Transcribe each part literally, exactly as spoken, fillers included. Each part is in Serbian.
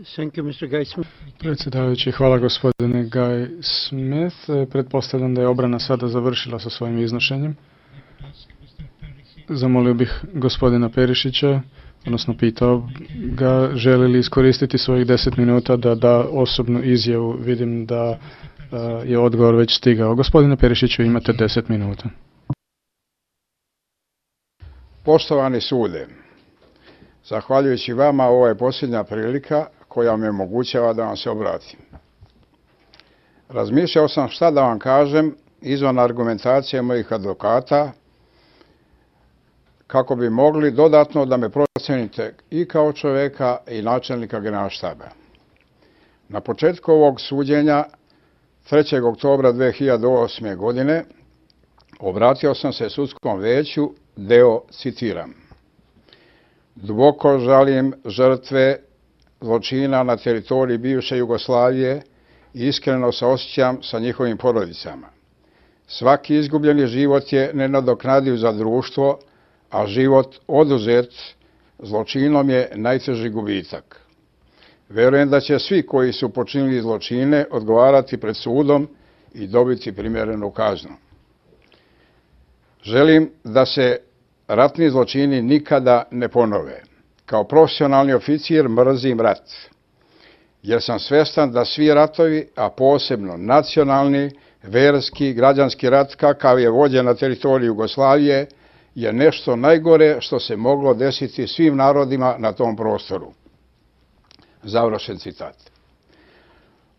Thank you, mister Guy Smith. Predsjedavajući, hvala gospodine Guy Smith. Pretpostavljam da je obrana sada završila sa svojim iznošenjem. Zamolio bih gospodina Perišića, odnosno pitao ga želi li iskoristiti svojih deset minuta da da osobnu izjavu. Vidim da uh, je odgovor već stigao. Gospodine Perišiću, imate deset minuta. Poštovani sude, zahvaljujući vama ovo je posljednja prilika koja mi omogućava da vam se obratim. Razmišljao sam šta da vam kažem izvan argumentacije mojih advokata kako bi mogli dodatno da me procenite i kao čoveka i načelnika Generalštaba. Na početku ovog suđenja trećeg oktobra dve hiljade osme. godine obratio sam se sudskom veću, deo citiram: duboko žalim žrtve zločina na teritoriji bivše Jugoslavije i iskreno saosjećam sa njihovim porodicama. Svaki izgubljeni život je nenadoknadiv za društvo, a život oduzet zločinom je najteži gubitak. Verujem da će svi koji su počinili zločine odgovarati pred sudom i dobiti primjerenu kaznu. Želim da se ratni zločini nikada ne ponove. Kao profesionalni oficir mrzim rat, jer sam svestan da svi ratovi, a posebno nacionalni, verski, građanski rat kakav je vođen na teritoriji Jugoslavije, je nešto najgore što se moglo desiti svim narodima na tom prostoru. Završen citat.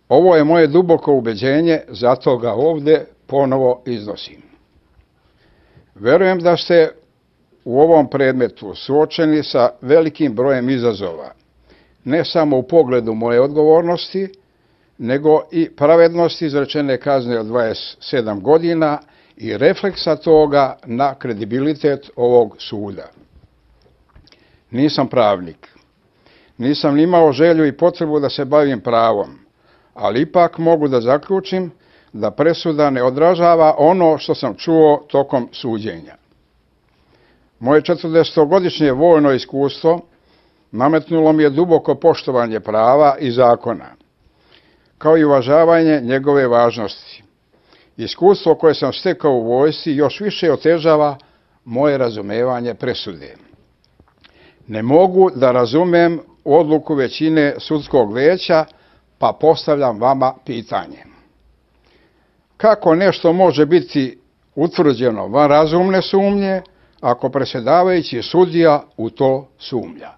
Ovo je moje duboko ubeđenje, zato ga ovde ponovo iznosim. Verujem da ste u ovom predmetu suočeni sa velikim brojem izazova, ne samo u pogledu moje odgovornosti, nego i pravednosti izrečene kazne od dvadeset sedam godina i refleksa toga na kredibilitet ovog suda. Nisam pravnik, nisam imao želju i potrebu da se bavim pravom, ali ipak mogu da zaključim da presuda ne odražava ono što sam čuo tokom suđenja. Moje četrdesetogodišnje vojno iskustvo nametnulo mi je duboko poštovanje prava i zakona, kao i uvažavanje njegove važnosti. Iskustvo koje sam stekao u vojsci još više otežava moje razumevanje presude. Ne mogu da razumem odluku većine sudskog veća, pa postavljam vama pitanje. Kako nešto može biti utvrđeno van razumne sumnje, ako predsjedavajući sudija u to sumnja?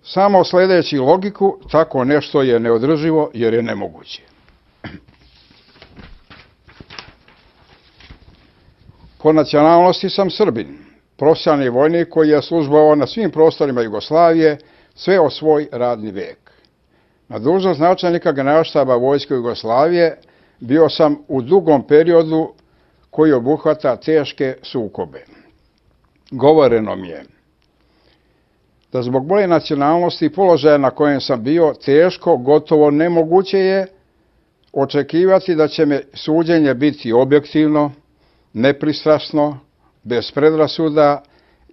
Samo sledeći logiku, tako nešto je neodrživo jer je nemoguće. Po nacionalnosti sam Srbin, profesionalni vojnik koji je službovao na svim prostorima Jugoslavije sve o svoj radni vek. Na dužnost načelnika Generalštaba Vojske Jugoslavije bio sam u dugom periodu koji obuhvata teške sukobe. Govoreno mi je da zbog moje nacionalnosti i položaja na kojem sam bio teško, gotovo nemoguće je očekivati da će me suđenje biti objektivno, nepristrasno, bez predrasuda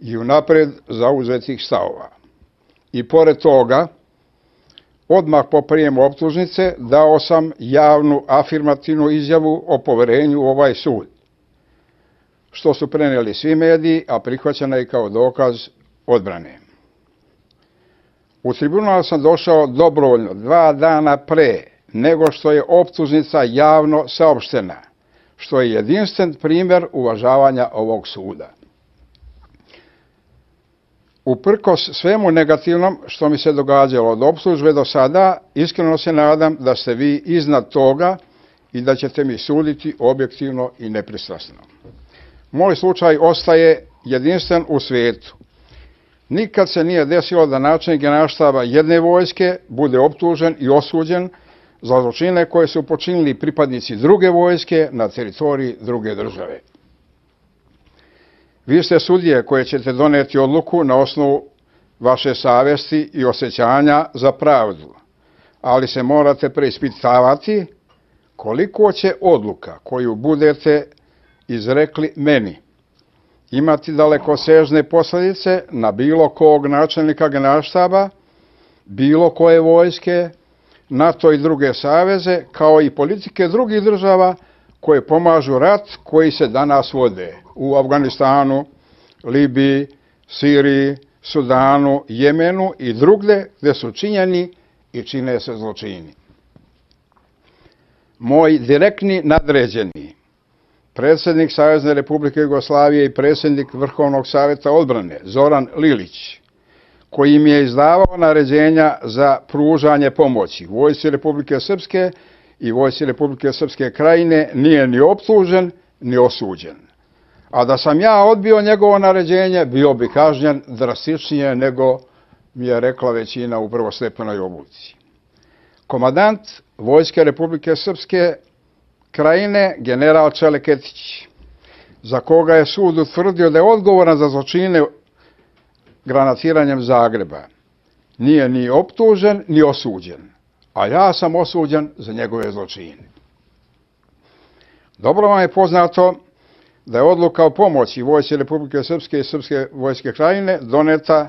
i unapred zauzetih stavova. I pored toga, odmah po prijemu optužnice dao sam javnu afirmativnu izjavu o poverenju u ovaj sud, što su preneli svi mediji, a prihvaćena je kao dokaz odbrane. U tribunal sam došao dobrovoljno dva dana pre nego što je optužnica javno saopštena, što je jedinstven primjer uvažavanja ovog suda. Uprkos svemu negativnom što mi se događalo od optužbe do sada, iskreno se nadam da ste vi iznad toga i da ćete mi suditi objektivno i nepristrasno. Moj slučaj ostaje jedinstven u svijetu. Nikad se nije desilo da načelnik Generalštaba jedne vojske bude optužen i osuđen za zločine koje su počinili pripadnici druge vojske na teritoriji druge države. Vi ste sudije koje ćete doneti odluku na osnovu vaše savesti i osjećanja za pravdu, ali se morate preispitavati koliko će odluka koju budete izrekli meni imati dalekosežne posljedice na bilo kog načelnika Generalštaba bilo koje vojske, NATO i druge saveze, kao i politike drugih država koje pomažu rat koji se danas vode u Afganistanu, Libiji, Siriji, Sudanu, Jemenu i drugde gde su činjeni i čine se zločini. Moj direktni nadređeni, predsjednik Savezne Republike Jugoslavije i predsjednik Vrhovnog savjeta odbrane, Zoran Lilić, koji im je izdavao naređenja za pružanje pomoći Vojsci Republike Srpske i Vojsci Republike Srpske Krajine, nije ni optužen, ni osuđen. A da sam ja odbio njegovo naređenje, bio bi kažnjen drastičnije nego mi je rekla većina u prvostepenoj odluci. Komandant Vojske Republike Srpske Krajine, general Čeleketić, za koga je sud utvrdio da je odgovoran za zločine granatiranjem Zagreba, nije ni optužen, ni osuđen, a ja sam osuđen za njegove zločine. Dobro vam je poznato da je odluka o pomoći Vojsci Republike Srpske i Srpske vojske Krajine doneta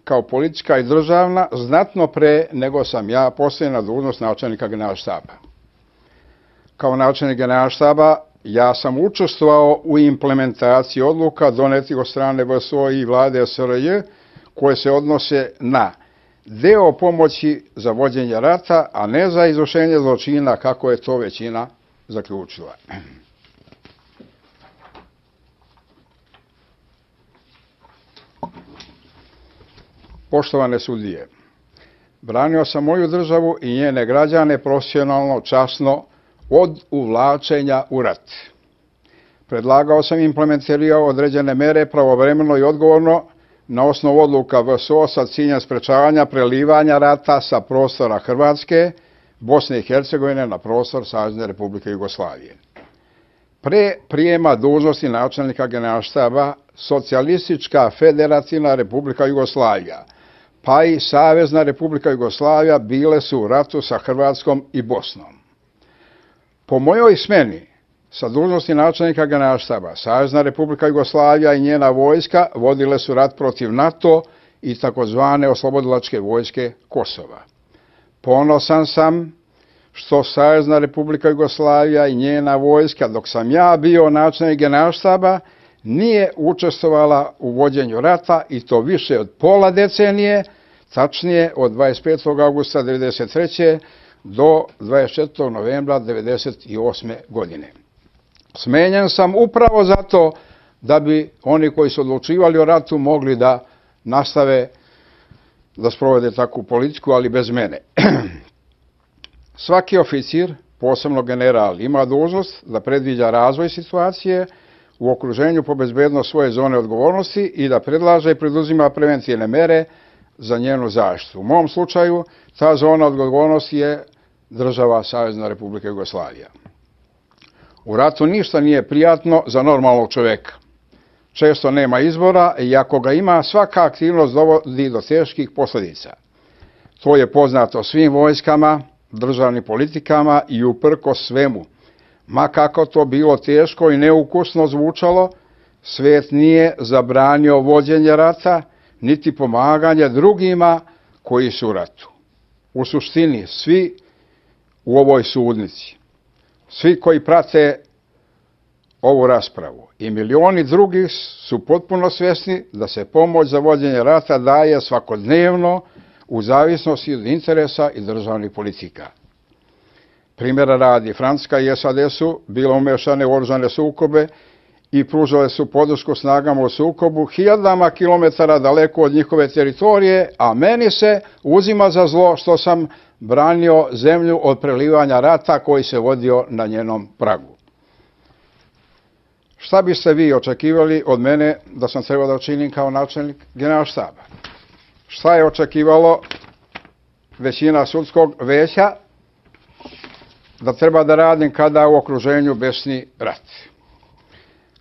kao politička i državna znatno pre nego sam ja postavljen na dužnost načelnika Generalštaba. Kao načelnik Generalštaba ja sam učestvovao u implementaciji odluka donetih od strane V S O i vlade S R J koje se odnose na deo pomoći za vođenje rata, a ne za izvršenje zločina kako je to većina zaključila. Poštovane sudije, branio sam moju državu i njene građane profesionalno, časno, od uvlačenja u rat. Predlagao sam i implementirao određene mere pravovremeno i odgovorno na osnovu odluka V S O sa ciljem sprečavanja prelivanja rata sa prostora Hrvatske, Bosne i Hercegovine na prostor Savezne Republike Jugoslavije. Pre prijema dužnosti načelnika Generalštaba, Socijalistička federativna Republika Jugoslavija, pa i Savezna Republika Jugoslavija bile su u ratu sa Hrvatskom i Bosnom. Po mojoj smeni sa dužnosti načelnika Generalštaba, Savezna Republika Jugoslavija i njena vojska vodile su rat protiv NATO i takozvane oslobodilačke vojske Kosova. Ponosan sam što Savezna Republika Jugoslavija i njena vojska, dok sam ja bio načelnik Generalštaba, nije učestvovala u vođenju rata i to više od pola decenije, tačnije od dvadeset petog avgusta devedeset treće do dvadeset četvrtog novembra devedeset osme godine. Smenjen sam upravo zato da bi oni koji su odlučivali o ratu mogli da nastave da sprovode takvu politiku, ali bez mene. Svaki oficir, posebno general, ima dužnost da predviđa razvoj situacije u okruženju po bezbednost svoje zone odgovornosti i da predlaže i preduzima preventivne mere za njenu zaštitu. U mom slučaju ta zona odgovornosti je država Savezna Republika Jugoslavija. U ratu ništa nije prijatno za normalnog čoveka. Često nema izbora i ako ga ima, svaka aktivnost dovodi do teških posljedica. To je poznato svim vojskama, državnim politikama i uprkos svemu. Ma kako to bilo teško i neukusno zvučalo, svet nije zabranio vođenje rata, niti pomaganje drugima koji su u ratu. U suštini, svi u ovoj sudnici, svi koji prate ovu raspravu i milioni drugih su potpuno svjesni da se pomoć za vođenje rata daje svakodnevno u zavisnosti od interesa i državnih politika. Primjera radi, Francuska i S A D su bile umešane u oružane sukobe i pružale su podršku snagama u sukobu hiljadama kilometara daleko od njihove teritorije, a meni se uzima za zlo što sam branio zemlju od prelivanja rata koji se vodio na njenom pragu. Šta biste vi očekivali od mene da sam trebao da učinim kao načelnik Generalštaba? Šta je očekivalo većina sudskog veća da treba da radim kada u okruženju besni rat?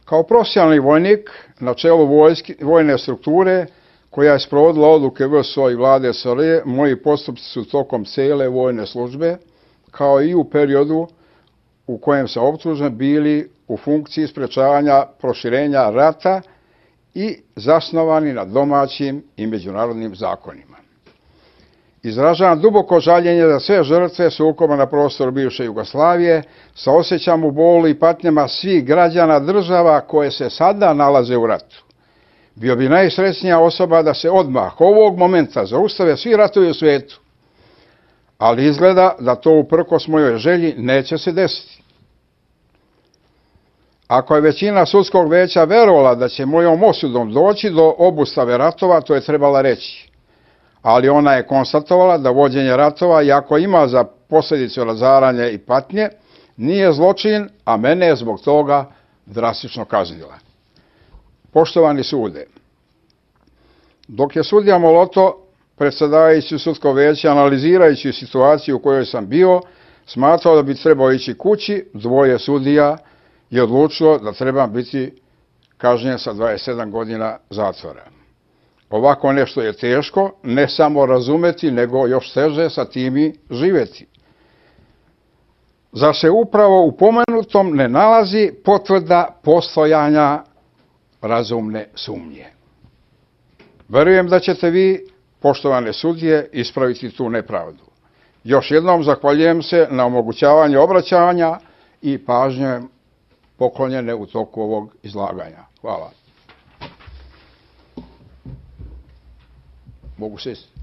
Kao profesionalni vojnik na čelu vojske, vojne strukture koja je sprovodila odluke V S O i vlade S R J, moji postupci su tokom cele vojne službe, kao i u periodu u kojem sam optužen, bili u funkciji sprečavanja proširenja rata i zasnovani na domaćim i međunarodnim zakonima. Izražavam duboko žaljenje za sve žrtve sukoba na prostoru bivše Jugoslavije, saosjećam u bolu i patnjama svih građana država koje se sada nalaze u ratu. Bio bi najsrećnija osoba da se odmah ovog momenta zaustave svi ratovi u svijetu, ali izgleda da to uprkos mojoj želji neće se desiti. Ako je većina sudskog veća verovala da će mojom osudom doći do obustave ratova, to je trebala reći. Ali ona je konstatovala da vođenje ratova, iako ima za posljedicu razaranje i patnje, nije zločin, a mene je zbog toga drastično kaznila. Poštovani sude, dok je sudija Moloto, predsjedavajući sudsko veće, analizirajući situaciju u kojoj sam bio, smatrao da bi trebao ići kući, dvoje sudija je odlučilo da trebam biti kažnjen sa dvadeset sedam godina zatvora. Ovako nešto je teško, ne samo razumeti, nego još teže sa tim i živjeti. Zar se upravo u pomenutom ne nalazi potvrda postojanja razumne sumnje? Verujem da ćete vi, poštovane sudije, ispraviti tu nepravdu. Još jednom zahvaljujem se na omogućavanju obraćanja i pažnje poklonjene u toku ovog izlaganja. Hvala. Mogu sesti.